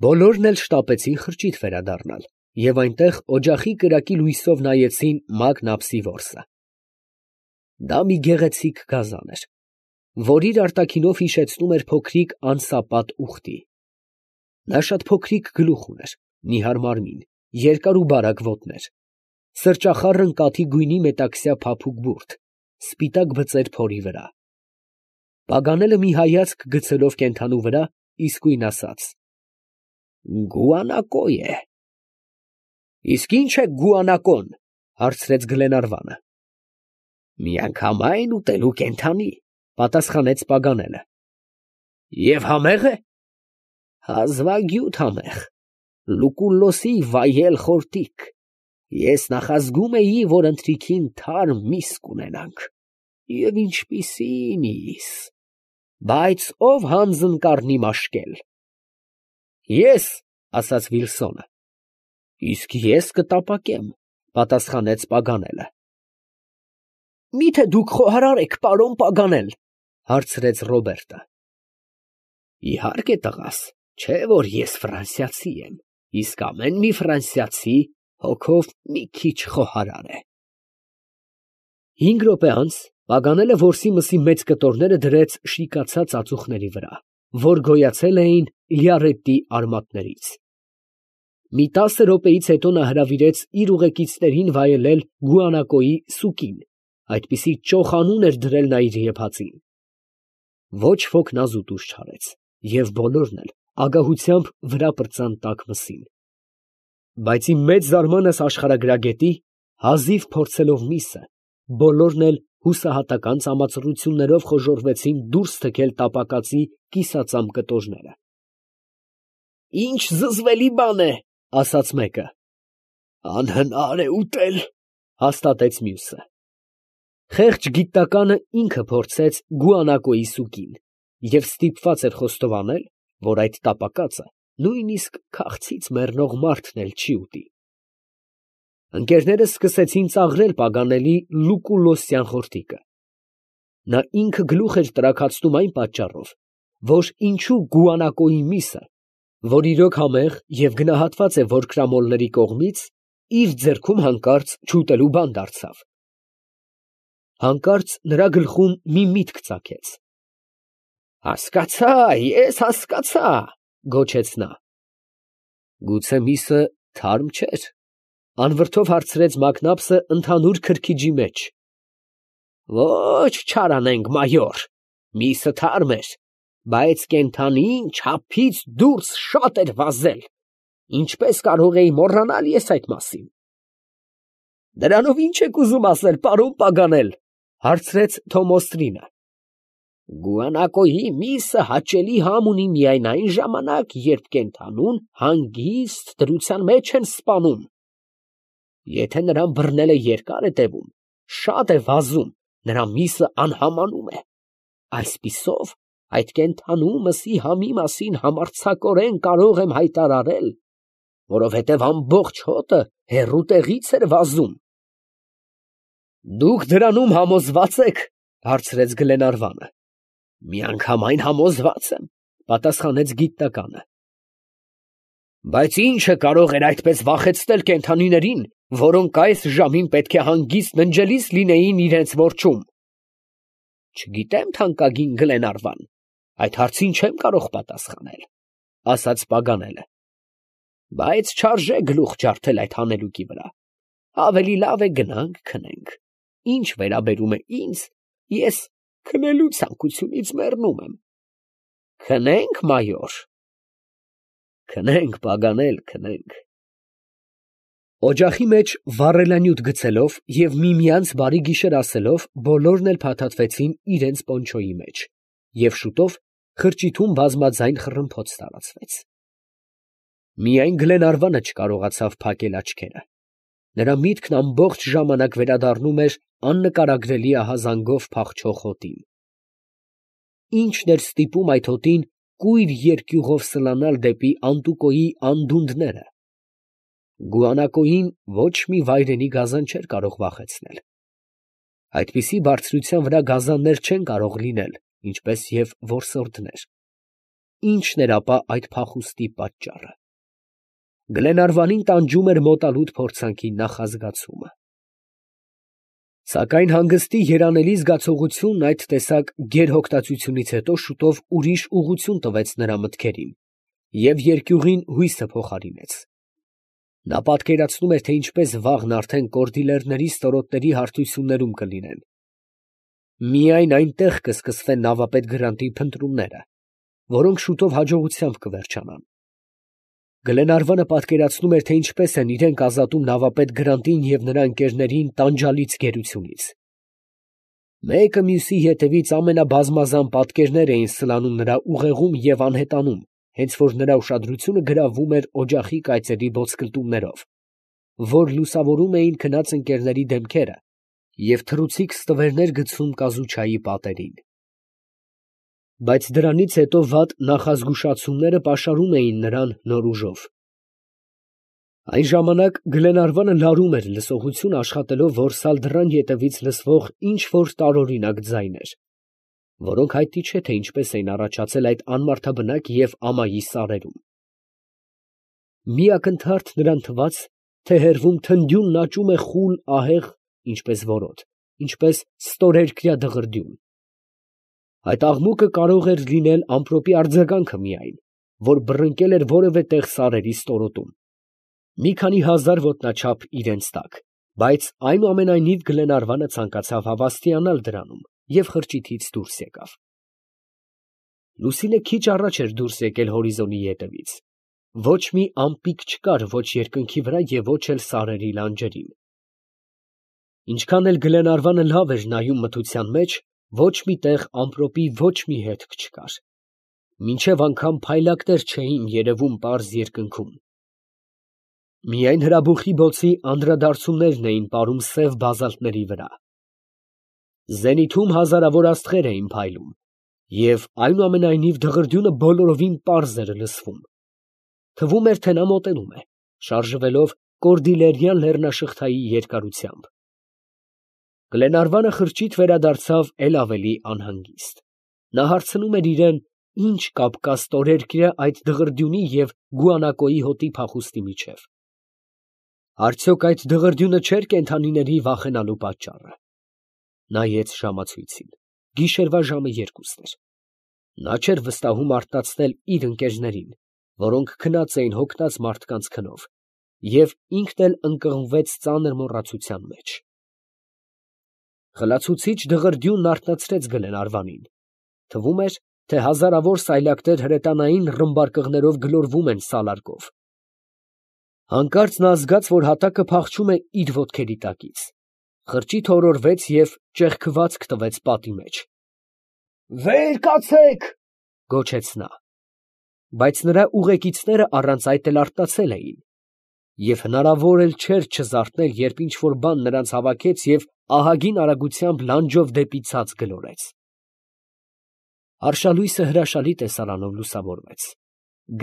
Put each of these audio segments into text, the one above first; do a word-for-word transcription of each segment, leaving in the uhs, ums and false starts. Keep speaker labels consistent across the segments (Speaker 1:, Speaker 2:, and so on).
Speaker 1: Բոլորն էլ շտապեցին խրճիթ վերադառնալ և այնտեղ օջախի կրակի լույսով նայեցին Մագ Նապսի որսը. դա մի գեղեցիկ գազան էր, որ իր արտաքինով հիշեցնում էր փոքրիկ անսապատ ուղտի. նա շատ փոքրիկ գլուխ ուներ, նիհար մարմին, երկար ու բարակ ոտներ, սրճախառն կաթի գույնի մետաքսյա փափուկ բուրդ, սպիտակ բծեր փորի վրա։ Պագանելը մի հայացք գցելով կենդանու վրա, իսկույն ասաց. «Գուանակո է»։ «Իսկ ի՞նչ է գուանակոն» հարցրեց Գլենարվանը։ «Միանգամայն ուտելու կենդանի», պատասխանեց Պագանելը։ «Եվ համե՞ղ է»։ «Հազվագյուտ համեղ, Լուկուլլոսի վայել խորտիկ, ես նախազգում էի, որ ընթրիքին թարմ միս կունենանք, և ինչպիսի միս, բայց ո՞վ հանձն կառնի մաշկել»։ «Ես», ասաց Վիլսոնը։ «Իսկ ես կտապակեմ», պատասխանեց Պագանելը։ «Մի՞թե դուք խոհարար եք, պարոն Պագանել», հարցրեց Ռոբերտը։ «Իհարկե, տղաս, չէ՞ որ ես ֆրանսիացի եմ, իսկ ամեն մի ֆրանսիացի հոգով մի քիչ խոհարար է»։ Հինգ րոպե անց Պագանելը որսի մսի մեծ կտորները դրեց շիկացած ածուխների վրա, որ գոյացել էին Լիարետի արմատներից։ Մի տասը րոպեից հետո նա հրավիրեց իր ուղեկիցներին վայելել գուանակոյի սուկին, այդպիսի ճոխ անուն էր դրել նա իր եփածին։ Ոչ ոք նա զուտուց չարեց, և բոլորն էլ ագահությամբ վրա պրծան տաք մսին։ Բայց իմ մեծ զարմանս աշխարհագրագետի, հազիվ փորձելով միսը, բոլորն էլ հուսահատական ծամացռություններով խոժոռվեցին դուրս թքել տապակածի կիսածամ կտորները։ «Ինչ զզվելի բան է», ասաց մեկը։ «Անհնար է ուտել», հաստատեց մյուսը։ Խեղճ գիտականը ինքը փորձեց գուանակոյի սուկին և ստիպված էր խոստովանել, որ այդ տապակածը նույնիսկ քաղցից մեռնող մարդն էլ չի ուտի։ Ընկերներս սկսեցին ծաղրել Պագանելի լուկուլլոսյան խորտիկը։ Նա ինքը գլուխ էր տրաքացնում այն պատճառով, որ ինչու գուանակոյի միսը, որ իրոք համեղ և գնահատված է որկրամոլների կողմից, իր ձեռքում հանկարծ չուտելու բան դարձավ։ Հանկարծ նրա գլխում մի միտք ծագեց։ «Հասկացա, ես հասկացա», գոչեց նա։ «Գուցե միսը թարմ չէր», անվրդով հարցրեց Մակնապսը ընդհանուր քրքիջի մեջ։ «Ոչ, չարանենգ մայոր, միսը թարմ էր, բայց կենդանին չափից դուրս շատ էր վազել, ինչպես կարող էի մոռանալ ես այդ մասին»։ «Դրանով ի՞նչ եք ուզում ասել, պարոն Պագանել», հարցրեց Թոմոստրինը։ «Գուանակոյի միսը հաճելի համ ունի միայն այն ժամանակ, երբ կենդանուն հանգիստ դրության մեջ են սպանում։ Եթե նրան բռնելը երկար է տևում, շատ է վազում, նրա միսը անհամանում է։ Այսպիսով, այդ կենդանու մսի համի մասին համարձակորեն կարող եմ հայտարարել, որովհետև ամբողջ հոտը հեռու տեղից էր վազում»։ «Դուք դրանում համոզվա՞ծ եք», հարցրեց Գլենարվանը։ «Միանգամայն համոզված եմ», պատասխանեց գիտականը։ «Բայց ի՞նչը կարող էր այդպես վախեցնել կենդանիներին, որոնք այս ժամին պետք է հանգիստ ննջելիս լինեին իրենց որջում»։ «Չգիտեմ, թանկագին Գլենարվան, այդ հարցին չեմ կարող պատասխանել», ասաց Պագանելը։ «Բայց չարժե գլուխ ջարդել այդ հանելուկի վրա, ավելի լավ է գնանք քնենք։ Ինչ վերաբերում է ինձ, ես քնելու ցանկությունից մեռնում եմ»։ «Քնե՞նք, մայոր»։ «Քնենք, Պագանել, քնենք»։ Օջախի մեջ վառելանյութ գցելով և միմյանց բարի գիշեր ասելով, բոլորն էլ փաթաթվեցին իրենց պոնչոյի մեջ, և շուտով խրճիթում բազմաձայն խռմփոց տարածվեց։ Միայն Գլենարվանը չկարողացավ փակել աչքերը։ Նրա միտքն ամբողջ ժամանակ վերադառնում էր աննկարագրելի ահազանգով փախչող հոտին։ Ի՞նչն էր ստիպում այդ հոտին կույր երկյուղով սլանալ դեպի Անտուկոյի անդունդները։ Գուանակոյին ոչ մի վայրենի գազան չէր կարող վախեցնել։ Այդպիսի բարձրության վրա գազաններ չեն կարող լինել, ինչպես և որսորդներ։ ինչն էր ապա այդ փախուստի պատճառը։ Գլենարվանին տանջում էր մոտալուտ փորձանքի նախազգացումը։ Սակայն հանգստի երանելի զգացողությունն այդ տեսակ գերհոգտածությունից հետո շուտով ուրիշ ուղղություն տվեց նրա մտքերին և երկյուղին հույսը փոխարինեց։ Նա պատկերացնում էր, թե ինչպես վաղն արդեն կորդիլերների ստորոտների հարթություններում կլինեն։ Միայն այնտեղ կսկսվեն նավապետ Գրանտի փնտրումները, որոնք շուտով հաջողությամբ կվերջանան։ Գլենարվանը պատկերացնում էր, թե ինչպես են իրենք ազատում նավապետ Գրանտին և նրա ընկերներին տանջալից գերությունից։ Մեկը մյուսի հետևից ամենաբազմազան պատկերներ էին սլանում նրա ուղեղում և անհետանում, հենց որ նրա ուշադրությունը գրավում էր օջախի կայծերի ոսկլտումներով, որ լուսավորում էին քնած ընկերների դեմքերը և թռուցիկ ստվերներ գցում կազուչայի պատերին։ Բայց դրանից հետո վատ նախազգուշացումները պաշարում էին նրան նոր ուժով։ Այն ժամանակ Գլենարվանը լարում էր լսողություն աշխատելով որսալ դռան ետևից լսվող ինչ֊որ տարօրինակ ձայներ, որոնք հայտնի չէ, թե ինչպես էին առաջացել այդ անմարդաբնակ և ամայի սարերում։ Մի ակնթարթ նրան թվաց, թե հեռվում թնդյունն աճում է խուլ ահեղ, ինչպես որոտ, ինչպես ստորերկրյա դղրդյուն։ Այդ աղմուկը կարող էր լինել ամպրոպի արձագանքը միայն, որ բռնկել էր որևէ տեղ սարերի ստորոտում, մի քանի հազար ոտնաչափ իրենց տակ, բայց այնուամենայնիվ Գլենարվանը ցանկացավ հավաստիանալ դրանում և խրճիթից դուրս եկավ։ Լուսինը քիչ առաջ էր դուրս եկել հորիզոնի ետևից։ Ոչ մի ամպիկ չկար ոչ երկնքի վրա և ոչ էլ սարերի լանջերին։ Ինչքան էլ Գլենարվանը լավ էր նայում մթության մեջ, ոչ մի տեղ ամպրոպի ոչ մի հետք չկար, մինչև անգամ փայլակներ չէին երևում պարզ երկնքում։ Միայն հրաբուխի բոցի անդրադարձություններն էին պարում սև բազալտների վրա։ Զենիթում հազարավոր աստղեր էին փայլում, և այնուամենայնիվ դղրդյունը բոլորովին պարզ էր լսվում։ Թվում էր, թե նա մոտենում է, շարժվելով կորդիլերյան լեռնաշղթայի երկարությամբ։ Գլենարվանը խրճիթ վերադարձավ էլ ավելի անհանգիստ։ Նա հարցնում էր իրան, ինչ կապ կա ստորերկրյա այդ դղրդյունի և Գուանակոյի հոտի փախուստի միջև։ Արդյոք այդ դղրդյունը չէր կենդանիների վախենալու պատճառը։ Նայեց ժամացույցին. գիշերվա ժամը երկուսն էր։ Նա չէր վստահում արթնացնել իր ընկերներին, որոնք քնած էին հոգնած մարդկանց քնով, և ինքն էլ ընկղմվեց ծանր մոռացության մեջ։ Խլացուցիչ դղրդյունն արթնացրեց Գլենարվանին։ Թվում էր, թե հազարավոր սայլակներ հրետանային ռմբարկղներով գլորվում են սալարկով։ Հանկարծ նա զգաց, որ հատակը փախչում է իր ոտքերի տակից։ Խրճիթը օրորվեց և ճեղքվածք տվեց պատի մեջ։ «Վեր կացեք», գոչեց նա։ Բայց նրա ուղեկիցները առանց այդ էլ արթնացել էին, և հնարավոր էլ չէր չզարթնել, երբ ինչ֊որ բան նրանց հավաքեց և ահագին արագությամբ լանջով դեպի ցած գլորեց։ Արշալույսը հրաշալի տեսարանով լուսավորվեց։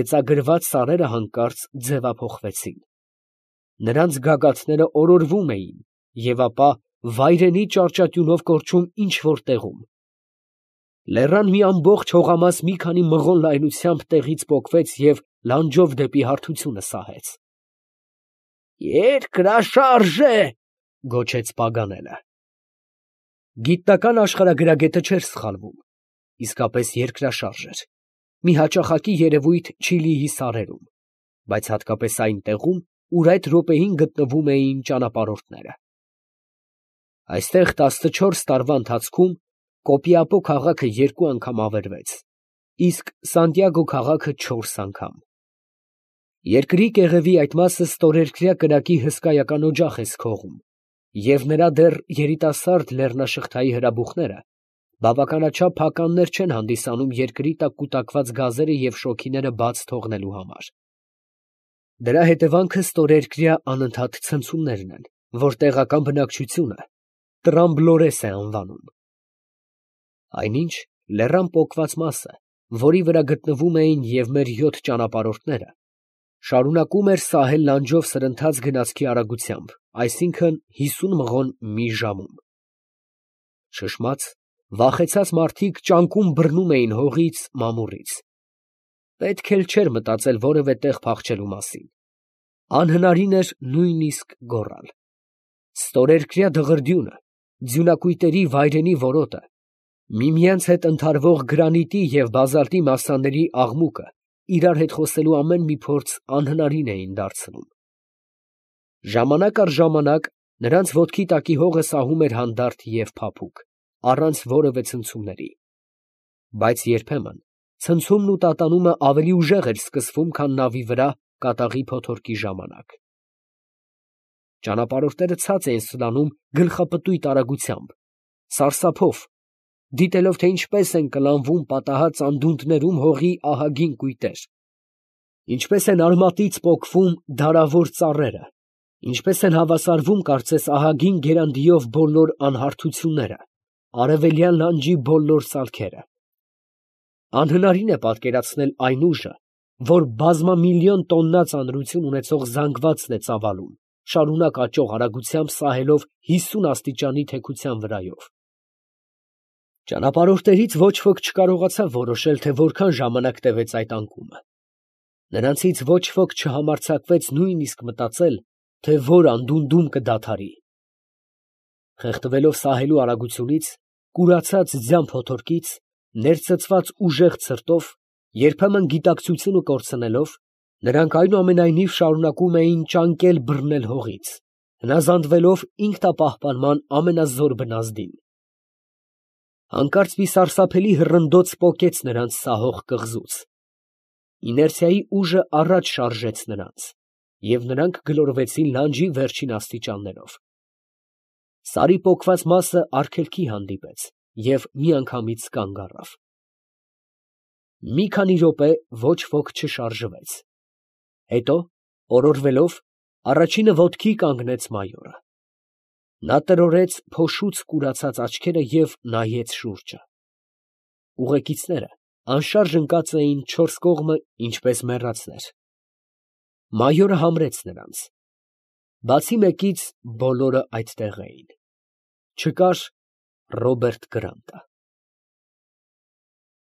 Speaker 1: Գծագրված սարերը հանկարծ ձևափոխվեցին։ Նրանց գագաթները օրորվում էին և ապա վայրենի ճարճատյունով կորչում ինչ֊որ տեղում։ Լեռան մի ամբողջ հողամաս մի քանի մղոն լայնությամբ տեղից պոկվեց և լանջով դեպի հարթությունը սահեց։ «Երկրաշարժ է», գոչեց Պագանելը։ Գիտնական աշխարհագրագետը չէր սխալվում. իսկապես երկրաշարժ էր, մի հաճախակի երևույթ Չիլիի սարերում, բայց հատկապես այն տեղում, ուր այդ րոպեին գտնվում էին ճանապարհորդները։ Այստեղ տասնչորս տարվա ընթացքում Կոպիապո քաղաքը երկու անգամ ավերվեց, իսկ Սանտիագո քաղաքը չորս անգամ։ Երկրի կեղևի այդ մասը ստորերկրյա կրակի հսկայական օջախ է սքողում, և նրա դեռ երիտասարդ լեռնաշղթայի հրաբուխները բավականաչափ փականներ չեն հանդիսանում երկրի տակ կուտակված գազերը և շոգիները բաց թողնելու համար։ Դրա հետևանքը ստորերկրյա անընդհատ ցնցումներն են, որ տեղական բնակչությունը տրամբլորես է անվանում։ Այնինչ, լեռան պոկված մասը, որի վրա գտնվում էին և մեր յոթ ճանապարհորդները, շարունակում էր սահել լանջով սրընթաց գնացքի արագությամբ, այսինքն՝ հիսուն մղոն մի ժամում։ Շշմած, վախեցած մարդիկ ճանկում բռնում էին հողից, մամուռից։ Պետք էլ չէր մտածել որևէ տեղ փախչելու մասին. անհնարին էր նույնիսկ գոռալ։ Ստորերկրյա դղրդյունը, ձյունակույտերի վայրենի որոտը, միմյանց հետ ընդհարվող գրանիտի և բազալտի մասաների աղմուկը իրար հետ խոսելու ամեն մի փորձ անհնարին էին դարձնում։ Ժամանակ առ ժամանակ նրանց ոտքի տակի հողը սահում էր հանդարտ և փափուկ, առանց որևէ ցնցումների, բայց երբեմն ցնցումն ու տատանումը ավելի ուժեղ էր սկսվում, քան նավի վրա կատաղի փոթորկի ժամանակ։ Ճանապարհորդները ցած էին սլանում գլխապտույտ արագությամբ, սարսափով, դիտելով, թե ինչպես են կլանվում պատահած անդունդներում հողի ահագին կույտեր, ինչպես են արմատից պոկվում դարավոր ծառերը, ինչպես են հավասարվում կարծես ահագին գերանդիով բոլոր անհարթությունները, արևելյան լանջի բոլոր սալքերը։ Անհնարին է պատկերացնել այն ուժը, որ բազմամիլիոն տոննա ծանրություն ունեցող զանգվածն է ծավալում, շարունակ աճող արագությամբ սահելով հիսուն աստիճանի թեքության վրայով։ Ճանապարհորդներից ոչ ոք չկարողացավ որոշել, թե որքան ժամանակ տևեց այդ անկումը։ Նրանցից ոչ ոք չհամարձակվեց նույնիսկ մտածել, թե որ անդունդում կդադարի։ Խեղդվելով սահելու արագությունից, կուրացած ձյան փոթորկից, ներծծված ուժեղ ցրտով, երբեմն գիտակցությունը կորցնելով, նրանք այնուամենայնիվ շարունակում էին ճանկել բռնել հողից, հնազանդվելով ինքնապահպանման ամենազոր բնազդին։ Հանկարծ մի սարսափելի հռնդոց պոկեց նրանց սահող կղզուց։ Իներցիայի ուժը առաջ շարժեց նրանց, և նրանք գլորվեցին լանջի վերջին աստիճաններով։ Սարի պոկված մասը արգելքի հանդիպեց և միանգամից կանգ առավ։ Մի քանի րոպե ոչ ոք չշարժվեց, հետո, օրորվելով, առաջինը ոտքի կանգնեց մայորը։ Նա տրորեց փոշուց կուրացած աչքերը և նայեց շուրջը։ Ուղեկիցները անշարժ ընկած էին չորս կողմը, ինչպես մեռածներ։ Մայորը համրեց նրանց։ Բացի մեկից բոլորը այդտեղ էին։ Չկար Ռոբերտ Գրանտը։